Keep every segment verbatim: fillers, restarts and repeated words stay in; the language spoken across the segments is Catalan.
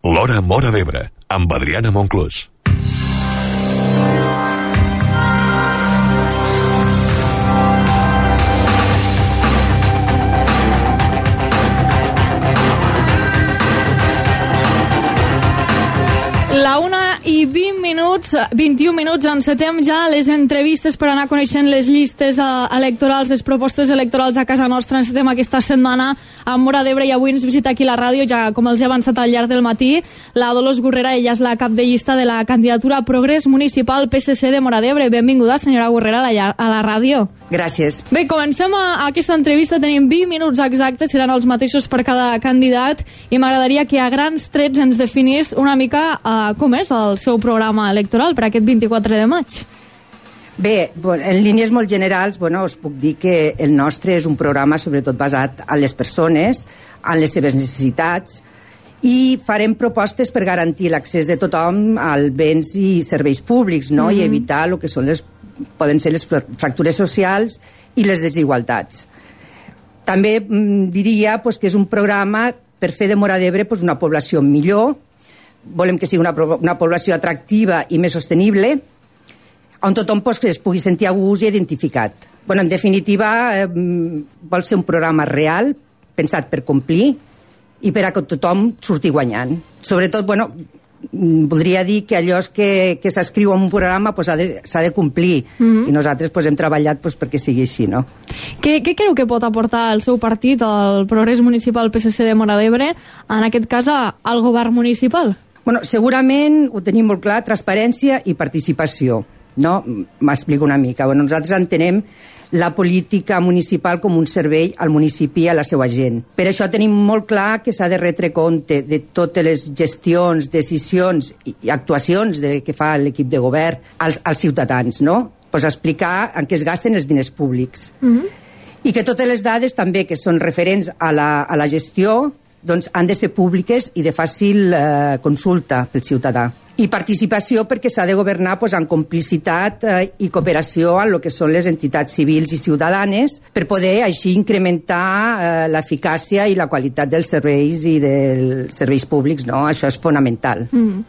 L'Hora Móra d'Ebre, amb Adriana Monclús. La una i vint minuts, vint-i-un minuts, encetem ja les entrevistes per anar coneixent les llistes electorals, les propostes electorals a casa nostra. Encetem aquesta setmana a Móra d'Ebre i avui ens visita aquí la ràdio, ja com els he avançat al llarg del matí, la Dolors Gurrera. Ella és la cap de llista de la candidatura Progrés Municipal P S C de Móra d'Ebre. Benvinguda, senyora Gurrera, a la, a la ràdio. Gràcies. Bé, comencem a, a aquesta entrevista. Tenim vint minuts exactes, seran els mateixos per cada candidat, i m'agradaria que a grans trets ens definís una mica uh, com és el seu programa electoral per aquest vint-i-quatre de maig. Bé, en línies molt generals, bueno, us puc dir que el nostre és un programa sobretot basat en les persones, en les seves necessitats, i farem propostes per garantir l'accés de tothom als béns i serveis públics, no? Mm-hmm. I evitar el que són les, poden ser les fractures socials i les desigualtats. També mm, diria pues, que és un programa per fer de Móra d'Ebre pues, una població millor. Volem que sigui una, una població atractiva i més sostenible, on tothom pues, que es pugui sentir a gust i identificat. Bueno, en definitiva, eh, vol ser un programa real, pensat per complir i per a que tothom surti guanyant. Sobretot, bueno, voldria dir que allò que, que s'escriu en un programa pues, s'ha de, s'ha de complir, mm-hmm. i nosaltres pues, hem treballat pues, perquè sigui així, no? Què, què creu que pot aportar el seu partit, el Progrés Municipal P S C de Móra d'Ebre, en aquest cas al govern municipal? Bueno, segurament ho tenim molt clar, transparència i participació, no? M'explico una mica. Bueno, nosaltres entenem la política municipal com un servei al municipi i a la seva gent. Per això tenim molt clar que s'ha de retre compte de totes les gestions, decisions i actuacions de, que fa l'equip de govern als, als ciutadans, no? Pues explicar en què es gasten els diners públics. Mm-hmm. I que totes les dades també que són referents a la, a la gestió doncs han de ser públiques i de fàcil eh, consulta pel ciutadà. I participació perquè s'ha de governar pues, en complicitat eh, i cooperació amb el que són les entitats civils i ciutadanes per poder així incrementar eh, l'eficàcia i la qualitat dels serveis i dels serveis públics, no? Això és fonamental. Mm.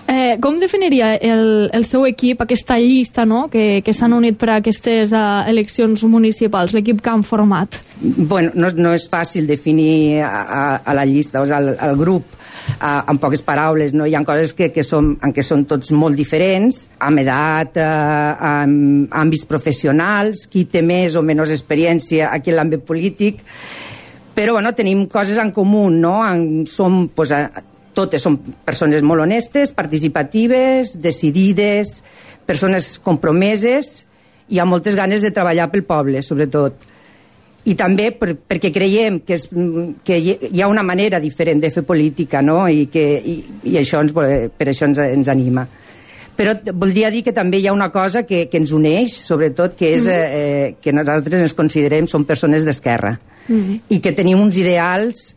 Eh, com definiria el, el seu equip, aquesta llista, no? que, que s'han unit per a aquestes uh, eleccions municipals, l'equip que han format? Bueno, no, no és fàcil definir a, a, a la llista, o sigui, al, al grup, Uh, en poques paraules, no? Hi ha coses que, que som, en què són tots molt diferents, amb edat, uh, amb àmbits professionals, qui té més o menys experiència aquí en l'àmbit polític, però bueno, tenim coses en comú, no? En, som, pues, uh, totes som persones molt honestes, participatives, decidides, persones compromeses i amb moltes ganes de treballar pel poble, sobretot. I també per, perquè creiem que, és, que hi ha una manera diferent de fer política, no? I, que, i, i això ens, per això ens, ens anima. Però voldria dir que també hi ha una cosa que, que ens uneix, sobretot, que és eh, que nosaltres ens considerem som persones d'esquerra, mm-hmm. i que tenim uns ideals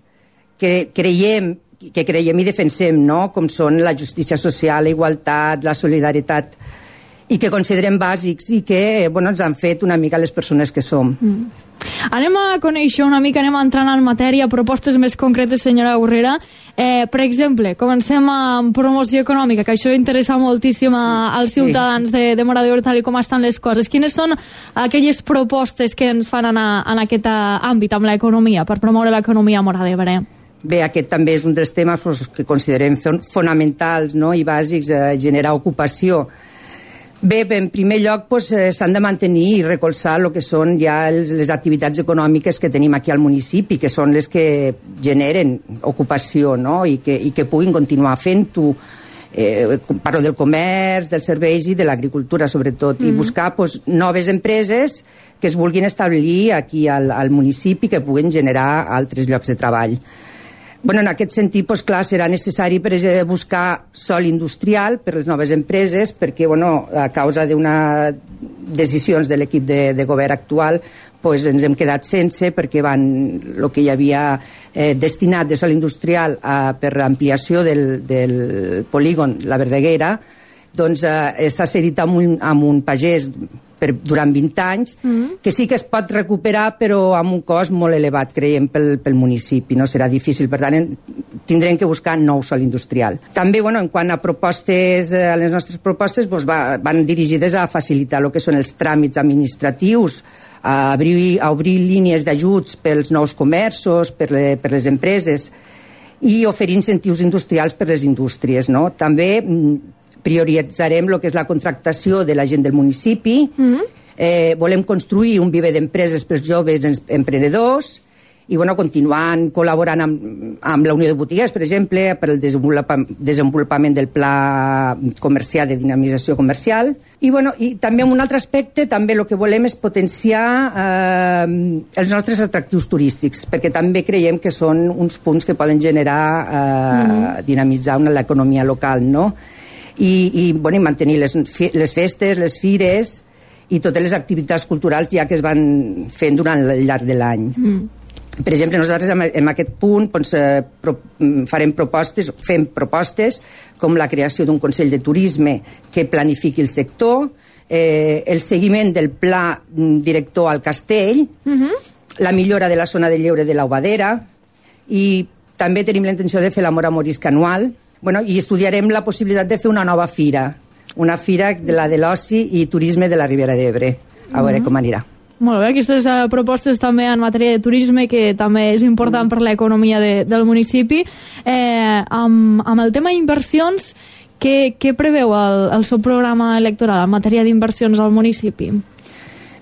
que creiem, que creiem i defensem, no? Com són la justícia social, la igualtat, la solidaritat, i que considerem bàsics i que bueno, ens han fet una mica les persones que som. Mm. Anem a conèixer una mica, anem entrant en matèria, propostes més concretes, senyora Gurrera. Eh, per exemple, comencem amb promoció econòmica, que això interessa moltíssim a, als ciutadans sí. de, de Móra d'Ebre, tal com estan les coses. Quines són aquelles propostes que ens fan anar en aquest àmbit, amb l'economia, per promoure l'economia a Móra d'Ebre? Bé, aquest també és un dels temes pues, que considerem fonamentals, no? I bàsics, eh, generar ocupació. Bé, en primer lloc pues, eh, s'han de mantenir i recolzar el que són ja els, les activitats econòmiques que tenim aquí al municipi, que són les que generen ocupació, no? I que, i que puguin continuar fent-ho. Eh, parlo del comerç, dels serveis i de l'agricultura, sobretot, mm-hmm. i buscar pues, noves empreses que es vulguin establir aquí al, al municipi, que puguin generar altres llocs de treball. Bueno, en aquest sentit, pues, clar, serà necessari per buscar sòl industrial per les noves empreses, perquè bueno, a causa d'unes decisions de l'equip de, de govern actual pues, ens hem quedat sense, perquè van, el que hi havia eh, destinat de sòl industrial a, per l'ampliació del, del polígon La Verdaguera, doncs eh, s'ha cedit amb un, amb un pagès per, durant vint anys, mm-hmm. que sí que es pot recuperar, però amb un cost molt elevat, creiem, pel, pel municipi. No serà difícil, per tant, tindrem que buscar nou sòl industrial. També, bueno, en quant a propostes, a les nostres propostes, doncs va, van dirigides a facilitar el que són els tràmits administratius, a obrir, a obrir línies d'ajuts pels nous comerços, per, le, per les empreses, i oferir incentius industrials per les indústries, no? També prioritzarem el que és la contractació de la gent del municipi, mm-hmm. eh, volem construir un viver d'empreses pels joves emprenedors, i bueno, continuant col·laborant amb, amb la Unió de Botiguers, per exemple, per al desenvolupament del pla comercial de dinamització comercial. I, bueno, i també en un altre aspecte, també el que volem és potenciar eh, els nostres atractius turístics, perquè també creiem que són uns punts que poden generar, eh, mm. dinamitzar una, l'economia local, no? I, i, bueno, i mantenir les, les festes, les fires i totes les activitats culturals ja que es van fent durant el llarg de l'any. Mm. Per exemple, nosaltres en aquest punt doncs, eh, pro, farem propostes, fem propostes com la creació d'un Consell de Turisme que planifiqui el sector, eh, el seguiment del pla director al castell, uh-huh. la millora de la zona de lleure de l'Aubadera, i també tenim la intenció de fer la Mora Morisca anual, bueno, i estudiarem la possibilitat de fer una nova fira, una fira de la de l'oci i turisme de la Ribera d'Ebre. A veure uh-huh. com anirà. Molt bé, aquestes uh, propostes també en matèria de turisme, que també és important per l'economia de, del municipi. Eh, amb, amb el tema inversions, què, què preveu el, el seu programa electoral en matèria d'inversions al municipi?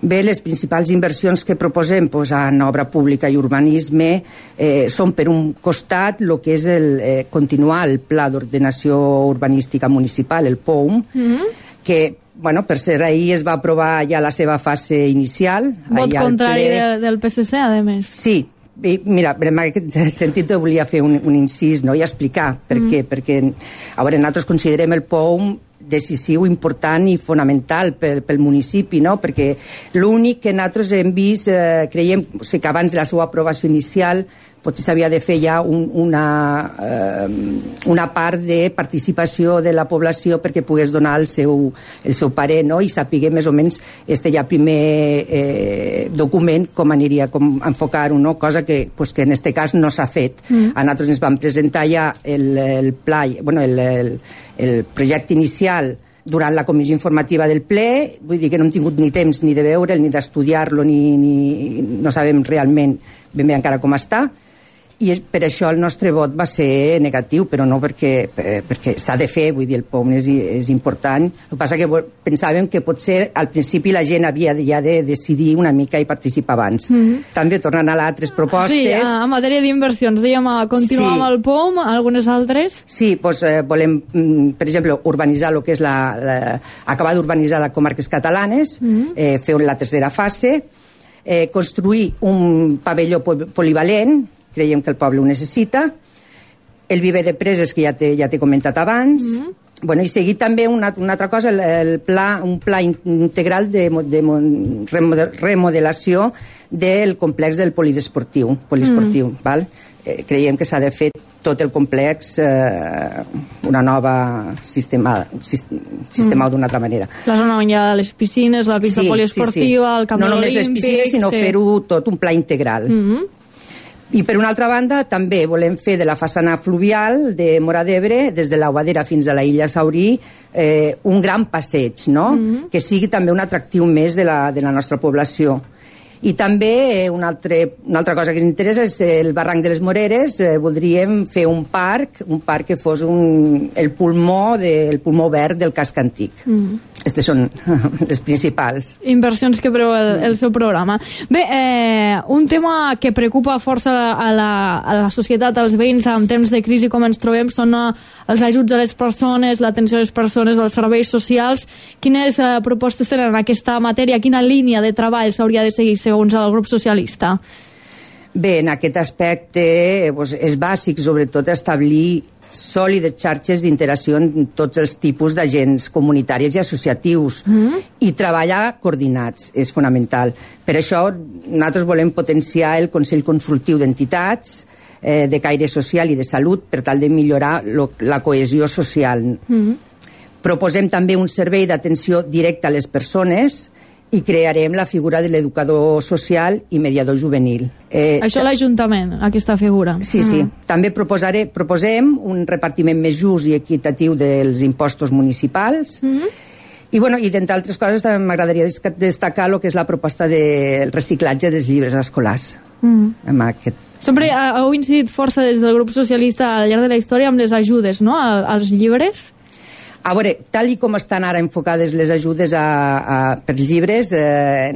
Bé, les principals inversions que proposem pues, en obra pública i urbanisme eh, són, per un costat, el que és el, eh, continuar el Pla d'Ordenació Urbanística Municipal, el P O U M, mm-hmm. que bueno, per ser ahir es va aprovar ja la seva fase inicial. Vot contrari de, del P S C, a més. Sí, i mira, en aquest sentit volia fer un, un incís, no?, i explicar per mm. què, perquè a veure, nosaltres considerem el P O U M decisiu, important i fonamental pel, pel municipi, no?, perquè l'únic que nosaltres hem vist, eh, creiem, o sigui, que abans de la seva aprovació inicial potser s'havia de fer ja un, una, eh, una part de participació de la població perquè pogués donar el seu, el seu parer, no?, i sapiguer més o menys este ja primer eh, document com aniria, com enfocar-ho, no?, cosa que, pues, que en este cas no s'ha fet. Mm. A nosaltres ens van presentar ja el, el pla, bueno, el, el, el projecte inicial durant la comissió informativa del ple, vull dir que no hem tingut ni temps ni de veure'l, ni d'estudiar-lo, ni, ni no sabem realment ben bé encara com està, i per això el nostre vot va ser negatiu, però no perquè, perquè s'ha de fer, vull dir, el P O U M és, és important. El que passa que pensàvem que potser al principi la gent havia ja de decidir una mica i participar abans. Mm-hmm. També tornant a les altres propostes... Sí, en matèria d'inversions, dèiem, continuar sí. amb el P O U M, algunes altres? Sí, doncs eh, volem, per exemple, urbanitzar el que és la... la acabar d'urbanitzar les comarques catalanes, mm-hmm. eh, fer la tercera fase, eh, construir un pavelló polivalent, creiem que el poble ho necessita, el viver de preses que ja t'he ja t'he comentat abans, mm-hmm. bueno, i seguir també una, una altra cosa, el, el pla, un pla integral de, de remodelació del complex del polidesportiu, polidesportiu, mm. val? Eh, creiem que s'ha de fer tot el complex eh, una nova sistema, sistema mm. d'una altra manera. La zona on hi ha les piscines, la pista sí, poliesportiva, sí, sí. el camp no olímpic... No només les piscines, sinó sí. fer-ho tot un pla integral. Mm-hmm. I per una altra banda també volem fer de la façana fluvial de Móra d'Ebre, des de l'Aubadera fins a la illa Saurí, eh, un gran passeig, no? Mm-hmm. Que sigui també un atractiu més de la, de la nostra població. I també eh, una, altre, una altra cosa que ens interessa és el barranc de les Moreres. Eh, voldríem fer un parc, un parc que fos un, el pulmó de, el pulmó verd del casc antic. Mm. Aquestes són les principals. Inversions que preveu el, el seu programa. Bé, eh, un tema que preocupa força a la, a la societat, als veïns en temps de crisi com ens trobem, són eh, els ajuts a les persones, l'atenció a les persones, els serveis socials. Quines eh, propostes tenen en aquesta matèria? Quina línia de treball s'hauria de seguir segons el grup socialista? Bé, en aquest aspecte doncs, és bàsic, sobretot, establir sòlides xarxes d'interacció en tots els tipus d'agents comunitaris i associatius mm-hmm. i treballar coordinats és fonamental. Per això nosaltres volem potenciar el Consell Consultiu d'Entitats eh, de caire social i de salut per tal de millorar lo, la cohesió social. Mm-hmm. Proposem també un servei d'atenció directa a les persones i crearem la figura de l'educador social i mediador juvenil. Eh, Això l'Ajuntament, aquesta figura. Sí, sí. Mm. També proposaré, proposem un repartiment més just i equitatiu dels impostos municipals. Mm-hmm. I, bueno, i d'entre altres coses també m'agradaria destacar el que és la proposta del reciclatge dels llibres escolars. Mm. Amb aquest... Sempre heu incidit força des del grup socialista al llarg de la història amb les ajudes, no?, als llibres. A veure, tal i com estan ara enfocades les ajudes a, a, per llibres, eh,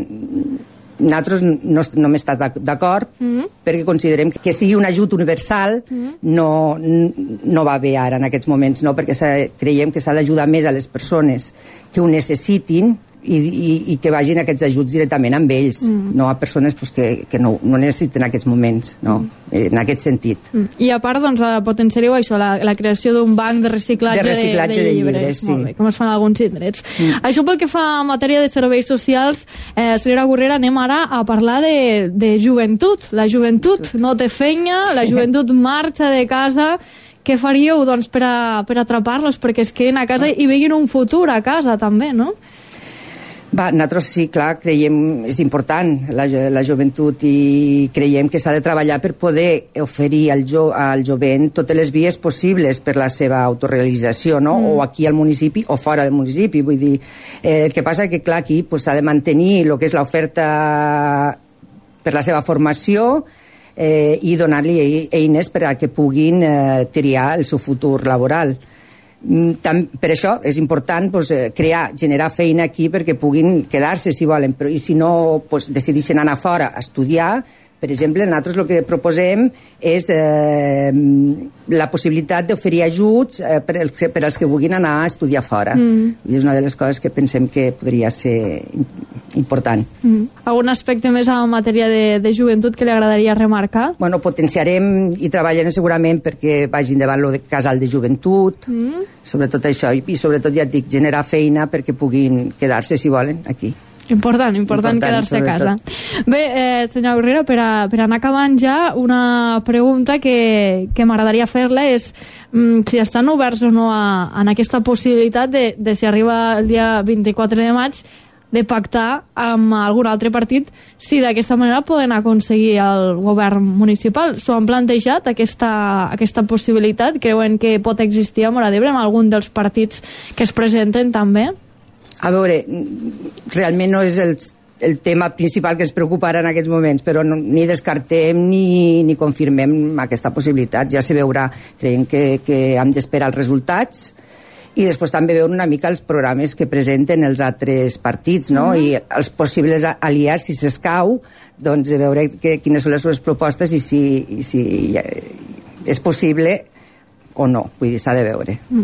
nosaltres no, no hem estat d'acord, mm-hmm. perquè considerem que sigui un ajut universal mm-hmm. no, no va bé ara en aquests moments, no? Perquè creiem que s'ha d'ajudar més a les persones que ho necessitin i, i, i que vagin aquests ajuts directament amb ells, mm. no a persones pues, que, que no, no necessiten en aquests moments, no? Mm. en aquest sentit. Mm. I a part, doncs, potenciareu això, la, la creació d'un banc de reciclatge de, reciclatge de, de, de llibres, llibres sí. Molt bé, com es fan alguns indrets. Mm. Això pel que fa a matèria de serveis socials, eh, senyora Gurrera, anem ara a parlar de, de joventut. La joventut no té feina, sí. La joventut marxa de casa. Què faríeu, doncs, per, a, per atrapar-los perquè es quedin a casa i veguin un futur a casa, també, no? Va, nosaltres sí, clar, creiem és important la, la joventut i creiem que s'ha de treballar per poder oferir al, jo, al jovent totes les vies possibles per la seva autorealització, no? Mm. O aquí al municipi o fora del municipi, vull dir, eh, el que passa que clar, aquí pues, s'ha de mantenir el que és l'oferta per la seva formació eh, i donar-li eines per a que puguin eh, triar el seu futur laboral. Tam, per això és important pues, crear, generar feina aquí perquè puguin quedar-se si volen, però i si no pues, decideixen anar fora a estudiar. Per exemple, nosaltres el que proposem és eh, la possibilitat d'oferir ajuts eh, per, als, per als que vulguin anar a estudiar fora. Mm. I és una de les coses que pensem que podria ser important. Mm. Algun aspecte més en matèria de, de joventut que li agradaria remarcar? Bueno, potenciarem i treballarem segurament perquè vagin davant el casal de joventut, mm. sobretot això, i, i sobretot, ja et dic, generar feina perquè puguin quedar-se, si volen, aquí. Important, important, important quedar-se a casa. Bé, eh, senyor Gurrera, per, a, per anar acabant ja, una pregunta que, que m'agradaria fer-la és mm, si estan oberts o no a, a aquesta possibilitat de, de si arriba el dia vint-i-quatre de maig de pactar amb algun altre partit si d'aquesta manera poden aconseguir el govern municipal. S'ho han plantejat, aquesta, aquesta possibilitat? Creuen que pot existir a Móra d'Ebre amb algun dels partits que es presenten també? A veure, realment no és el, el tema principal que ens preocupa ara en aquests moments, però no, ni descartem ni, ni confirmem aquesta possibilitat. Ja se veurà, creiem que, que hem d'esperar els resultats i després també veure una mica els programes que presenten els altres partits, no? Mm-hmm. I els possibles aliats, si s'escau, doncs de veure que, quines són les seves propostes i si, i si és possible o no, vull dir, s'ha de veure. Mm.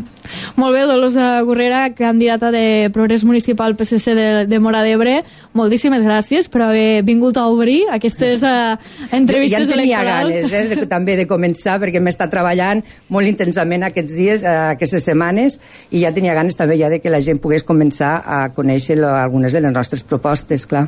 Molt bé, Dolors Gurrera, candidata de Progrés Municipal P S C de, de Móra d'Ebre, moltíssimes gràcies per haver vingut a obrir aquestes uh, entrevistes electorals. Ja en tenia ganes, eh, de, també de començar, perquè m'he estat treballant molt intensament aquests dies, uh, aquestes setmanes, i ja tenia ganes també ja de que la gent pogués començar a conèixer lo, algunes de les nostres propostes, clar.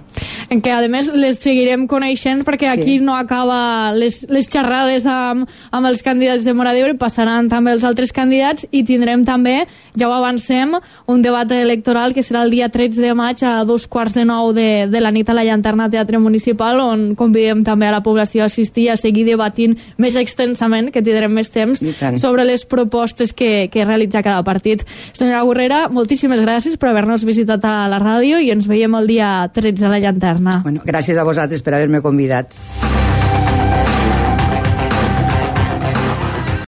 En què, a més, les seguirem coneixent, perquè sí. Aquí no acaba les, les xerrades amb, amb els candidats de Móra d'Ebre, passaran també els altres candidats i tindrem també, ja ho avancem, un debat electoral que serà el dia tretze de maig a dos quarts de nou de, de la nit a la Llanterna Teatre Municipal, on convidem també a la població a assistir a seguir debatint més extensament, que tindrem més temps, sobre les propostes que, que realitza cada partit. Senyora Gurrera, moltíssimes gràcies per haver-nos visitat a la ràdio i ens veiem el dia tretze a la Llanterna. Bueno, gràcies a vosaltres per haver-me convidat.